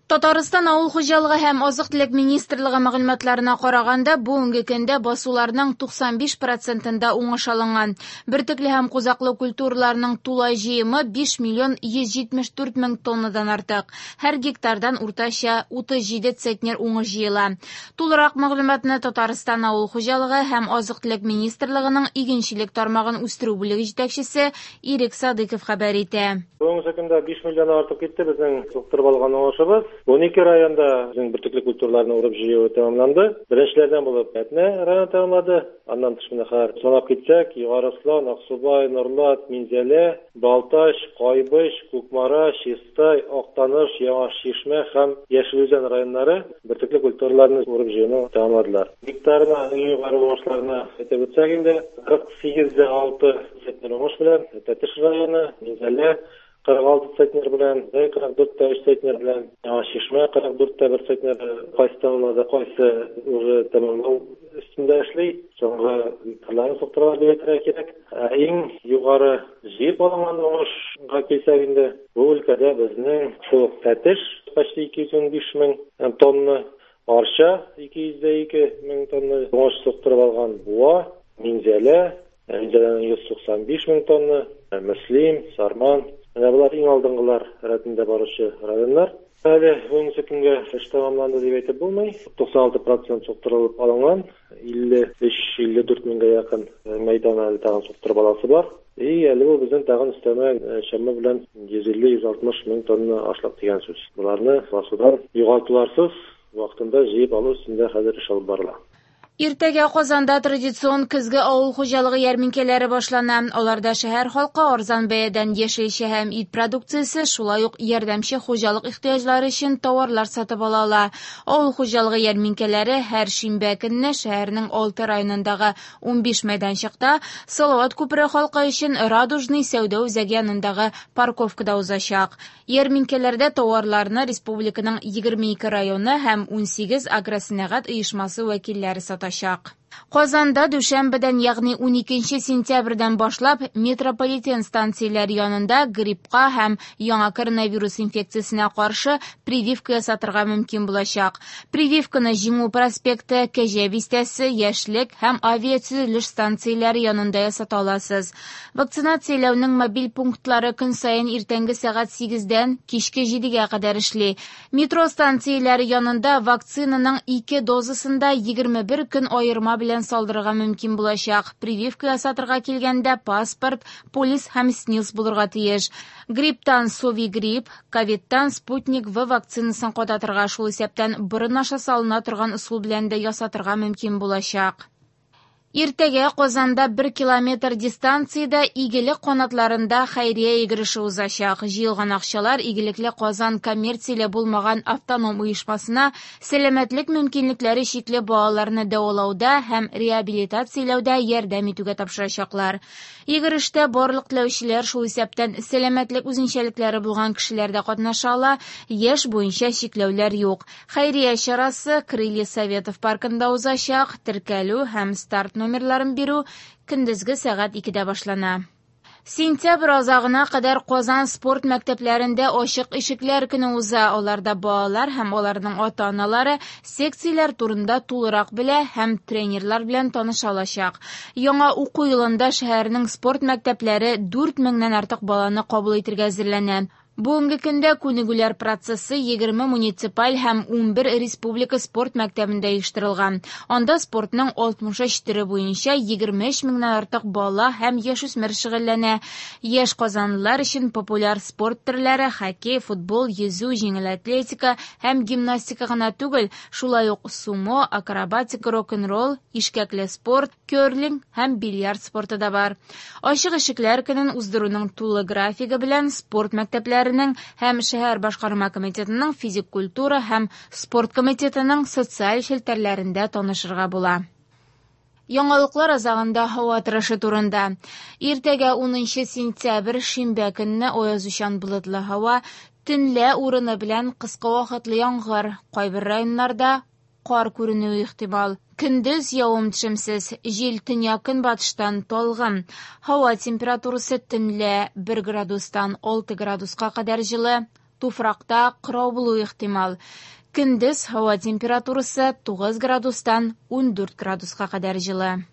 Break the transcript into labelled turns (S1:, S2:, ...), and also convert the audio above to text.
S1: Татарстан Авыл хуҗалыгы һәм азык-төлек министрлыгы мәгълүматларына караганда, бүгенге көндә басуларның 95 процентында уңыш алынган. Бөртекле һәм кузаклы культураларның тулай җыемы 5 миллион 174 мең тоннадан артык. Һәр гектардан уртача 37 центнер уңыш җыела. Тулырак мәгълүматны Татарстан Авыл хуҗалыгы һәм азык-төлек министрлыгының игенчелек тармагын үстерү бүлеге җитәкчесе Ирек Садыков хәбәр итә.
S2: Бүгенге көндә 5 миллионнан артып китте безнең суктырып алган уңышыбыз. 12 районда безнең бөртекле культураларны урып җыю тәмамланды. Беренчеләрдән булып Әтнә районы тәмамлады. Аннан тыш менә хәзер санап китсәк, Югары Ослан, Аксубай, Нурлат, Минзәлә, Балтач, Кайбыч, Кукмара, Чистай, Актаныш, Яңа Чишмә һәм Яшел Үзән районнары бөртекле культураларны урып җыюны тәмамладылар. Гектарына иң югары уңышларны әйтеп үтсәк инде, 48,6 центнер уңыш белән Тәтеш районы, Минзәлә, 46 центнер белән, Зәй 44,3 центнер белән, Яңа Чишмә 44,1 центнер, кайсы тәмамлады, кайсы уже тәмамлау өстендә эшли, соңгы гектарларын суктыралар дип әйтергә кирәк. Ә иң югары җыеп алынган уңышка килсәк инде, бу өлкәдә безнең шул ук Тәтеш почти 215 мең тонна, Арча 202 мең тонна уңыш суктырып алган, Буа, Минзәлә, Минзәләнең 195 мең тонна, Мөслим, Сарман. Менә болар иң алдынгылар рәтендә баручы районнар. Әле бүгенге көнгә эш тәмамланды дип әйтеп булмый. 96 процент суктырылып алынган, 53-54 меңгә якын мәйдан әле тагын суктырып аласы бар. И әле бу безнең тагын өстәмә чама белән 150-160 мең тонна ашлык дигән сүз. Боларны басудан югалтуларсыз вакытында җыеп алу өстендә хәзер эш алып барыла.
S1: Иртәгә Казанда традицион көзге авыл хуҗалыгы ярминкәләре башлана. Аларда шәһәр халкы арзан бәядән яшелчә һәм ит продукциясе, шулай ук ярдәмче хуҗалык ихтыяҗлары өчен товарлар сатып ала ала. Авыл хуҗалыгы ярминкәләре һәр шимбә көнне шәһәрнең 6 районындагы 15 мәйданчыкта, Салават күпере халкы өчен Радужный сәүдә үзәге янындагы парковкада узачак. Ярминкәләрдә товарларны республиканың 22 районы һәм 18 агросәнәгать оешмасы вәкилләре сатачак. Казанда дүшәмбедән, ягъни 12 сентябрьдән башлап метрополитен станцияләре янында гриппка һәм яңа коронавирус инфекциясенә каршы прививка ясатырга мөмкин булачак. Прививканы Җиңү проспекты, Кәҗә бистәсе, Яшьлек һәм авиатөзелеш станцияләре янында ясата аласыз. Вакцинацияләүнең мобиль пунктлары көн саен иртәнге сәгать 8-дән кичке 7-гә кадәр эшли. Метро станцияләре янында вакцинаның 2 дозасын да 21 көн аерма белән салдырырга мөмкин булачак. Прививка ясатырга килгәндә паспорт, полис һәм СНИЛС булырга тиеш. Грипптан Совигрипп, ковидтан Спутник В вакцинасын кадатырга, шул исәптән борын аша салына торган ысул белән дә ясатырга мөмкин булачак. Иртәгә Казанда 1 километр дистанциядә Игелек канатларында хәйрия йөгереше узачак. Җыелган акчалар Игелекле Казан коммерцияле булмаган автоном оешмасына сәламәтлек мөмкинлекләре чикле балаларны дәвалауда һәм реабилитацияләүдә ярдәм итүгә тапшырачаклар. Йөгерештә барлык теләүчеләр, шул исәптән сәламәтлек үзенчәлекләре булган кешеләр дә катнаша ала, яшь буенча чикләүләр юк. Хәйрия чарасы Крылья Советов паркында узачак. Теркәлү һәм старт номерларын бирү көндезге сәгать 2-дә башлана. Сентябрь азагына кадәр Казан спорт мәктәпләрендә ачык ишекләр көне уза. Аларда балалар һәм аларның ата-аналары секцияләр турында тулырак белә һәм тренерлар белән таныша алачак. Яңа уку елында шәһәрнең спорт мәктәпләре 4000-нән артык баланы кабул итәргә әзерләнә. Бүгенге көндә күнегүләр процессы 20 муниципаль һәм 11 республика спорт мәктәбендә оештырылган. Анда спортның 63 төре буенча 23 меңнән артык бала һәм яшүсмер шөгыльләнә. Яшь казанлылар өчен популяр спорт төрләре хоккей, футбол, йөзү, җиңел атлетика һәм гимнастика гына түгел, шулай ук сумо, акробатика, рок-н-ролл, ишкәкле спорт, керлинг һәм бильярд спорты да бар. Ачык ишекләр көнен уздыруның тулы графигы белән спорт мәктәпләренең һәм шәһәр башкарма комитетының физик культура һәм спорт комитетының социаль челтәрләрендә танышырга була. Яңалыклар азагында һава торышы турында. Иртәгә 10 сентябрь шимбә көнне аязучан болытлы һава, төнлә урыны белән кыска вакытлы яңгыр, кайбер районнарда кар күренүе ихтимал. Көндез явым-төшемсез, җил төньяк-көнбатыштан талгын. Һава температурасы төнлә 1 градустан 6 градуска кадәр җылы, Туфракта кырау булуы ихтимал. Көндез һава температурасы 9 градустан 14 градуска кадәр җылы.